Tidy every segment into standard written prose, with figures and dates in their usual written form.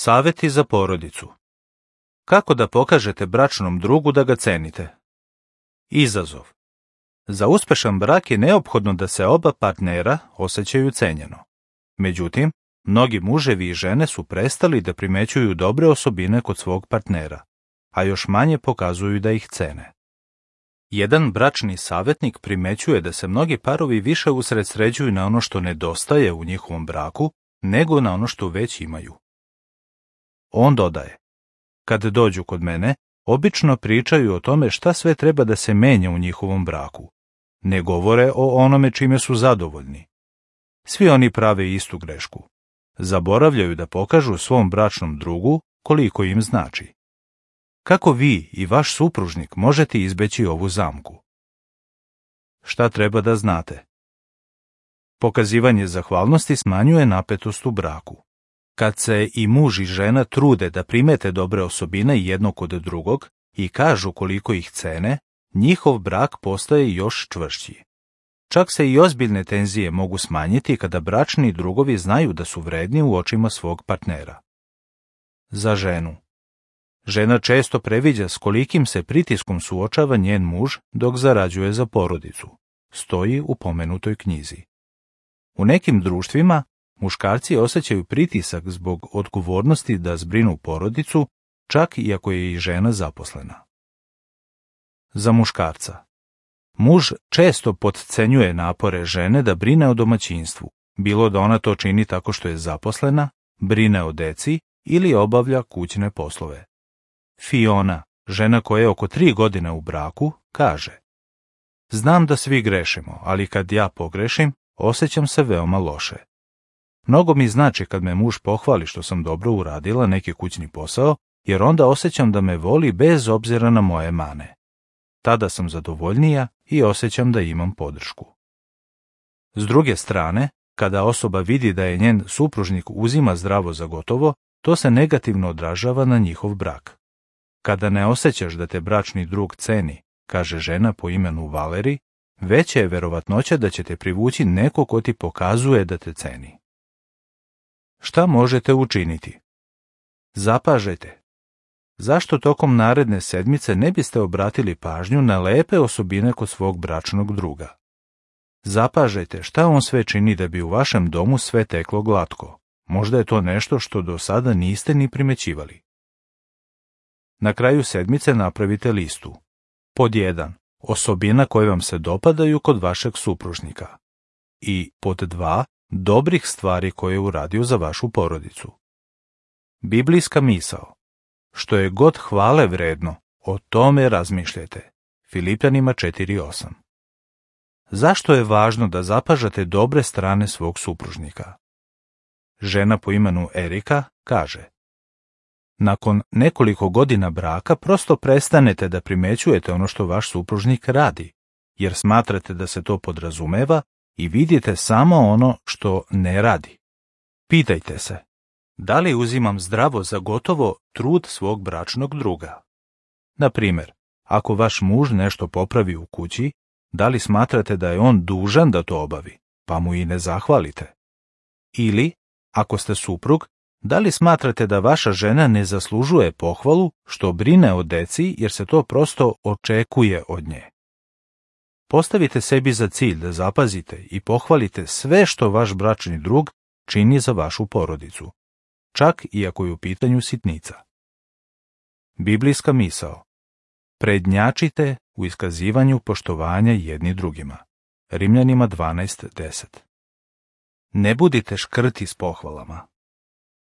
Savjeti za porodicu. Kako da pokažete bračnom drugu da ga cenite? Izazov. Za uspešan brak je neophodno da se oba partnera osjećaju cenjeno. Međutim, mnogi muževi i žene su prestali da primećuju dobre osobine kod svog partnera, a još manje pokazuju da ih cene. Jedan bračni savjetnik primećuje da se mnogi parovi više usredsređuju na ono što nedostaje u njihovom braku, nego na ono što već imaju. On dodaje: kad dođu kod mene, obično pričaju o tome šta sve treba da se menja u njihovom braku. Ne govore o onome čime su zadovoljni. Svi oni prave istu grešku. Zaboravljaju da pokažu svom bračnom drugu koliko im znači. Kako vi i vaš supružnik možete izbeći ovu zamku? Šta treba da znate? Pokazivanje zahvalnosti smanjuje napetost u braku. Kad se i muž i žena trude da primete dobre osobine jedno kod drugog i kažu koliko ih cene, njihov brak postaje još čvršći. Čak se i ozbiljne tenzije mogu smanjiti kada bračni drugovi znaju da su vredni u očima svog partnera. Za ženu. Žena često previđa s kolikim se pritiskom suočava njen muž dok zarađuje za porodicu. Stoji u pomenutoj knjizi. U nekim društvima muškarci osjećaju pritisak zbog odgovornosti da zbrinu porodicu, čak i ako je i žena zaposlena. Za muškarca. Muž često potcenjuje napore žene da brine o domaćinstvu, bilo da ona to čini tako što je zaposlena, brine o deci ili obavlja kućne poslove. Fiona, žena koja je oko 3 godine u braku, kaže: znam da svi grešimo, ali kad ja pogrešim, osjećam se veoma loše. Mnogo mi znači kad me muž pohvali što sam dobro uradila neki kućni posao, jer onda osjećam da me voli bez obzira na moje mane. Tada sam zadovoljnija i osjećam da imam podršku. S druge strane, kada osoba vidi da je njen supružnik uzima zdravo za gotovo, to se negativno odražava na njihov brak. Kada ne osjećaš da te bračni drug ceni, kaže žena po imenu Valeri, veća je verovatnoća da će te privući neko ko ti pokazuje da te ceni. Šta možete učiniti? Zapažajte. Zašto tokom naredne sedmice ne biste obratili pažnju na lepe osobine kod svog bračnog druga? Zapažajte šta on sve čini da bi u vašem domu sve teklo glatko. Možda je to nešto što do sada niste ni primećivali. Na kraju sedmice napravite listu. Pod 1. Osobina koje vam se dopadaju kod vašeg supružnika. I pod 2. Dobrih stvari koje je uradio za vašu porodicu. Biblijska misao. Što je god hvale vredno, o tome razmišljajte. Filipljanima 4:8. Zašto je važno da zapažate dobre strane svog supružnika? Žena po imenu Erika kaže: nakon nekoliko godina braka prosto prestanete da primećujete ono što vaš supružnik radi, jer smatrate da se to podrazumeva i vidite samo ono što ne radi. Pitajte se: da li uzimam zdravo za gotovo trud svog bračnog druga? Na primjer, ako vaš muž nešto popravi u kući, da li smatrate da je on dužan da to obavi, pa mu i ne zahvalite? Ili, ako ste suprug, da li smatrate da vaša žena ne zaslužuje pohvalu što brine o deci jer se to prosto očekuje od nje? Postavite sebi za cilj da zapazite i pohvalite sve što vaš bračni drug čini za vašu porodicu, čak i ako je u pitanju sitnica. Biblijska misao. Prednjačite u iskazivanju poštovanja jedni drugima. Rimljanima 12:10. Ne budite škrti s pohvalama.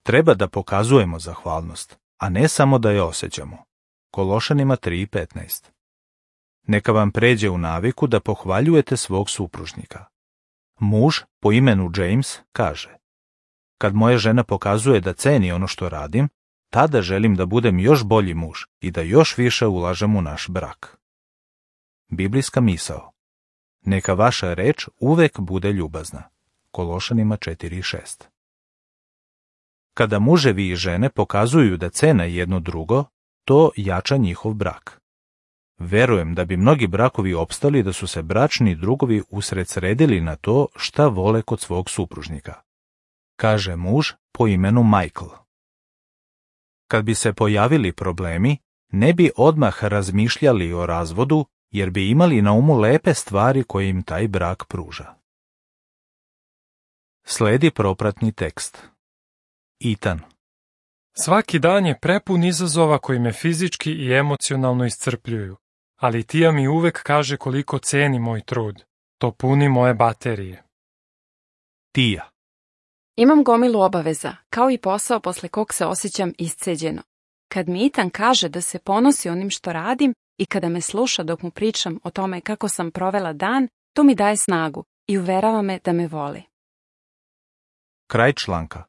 Treba da pokazujemo zahvalnost, a ne samo da je osjećamo. Kološanima 3:15. Neka vam pređe u naviku da pohvaljujete svog supružnika. Muž po imenu James kaže: kad moja žena pokazuje da ceni ono što radim, tada želim da budem još bolji muž i da još više ulažem u naš brak. Biblijska misao. Neka vaša reč uvek bude ljubazna. Kološanima 4:6. Kada muževi i žene pokazuju da cene jedno drugo, to jača njihov brak. Verujem da bi mnogi brakovi opstali da su se bračni drugovi usredsredili na to šta vole kod svog supružnika. Kaže muž po imenu Michael: Kad bi se pojavili problemi, ne bi odmah razmišljali o razvodu, jer bi imali na umu lepe stvari koje im taj brak pruža. Sledi propratni tekst. Ethan. Svaki dan je prepun izazova koji me fizički i emocionalno iscrpljuju, ali Tija mi uvek kaže koliko ceni moj trud. To puni moje baterije. Tija. Imam gomilu obaveza, kao i posao posle kog se osjećam isceđeno. Kad mi Ethan kaže da se ponosi onim što radim i kada me sluša dok mu pričam o tome kako sam provela dan, to mi daje snagu i uverava me da me voli. Kraj članka.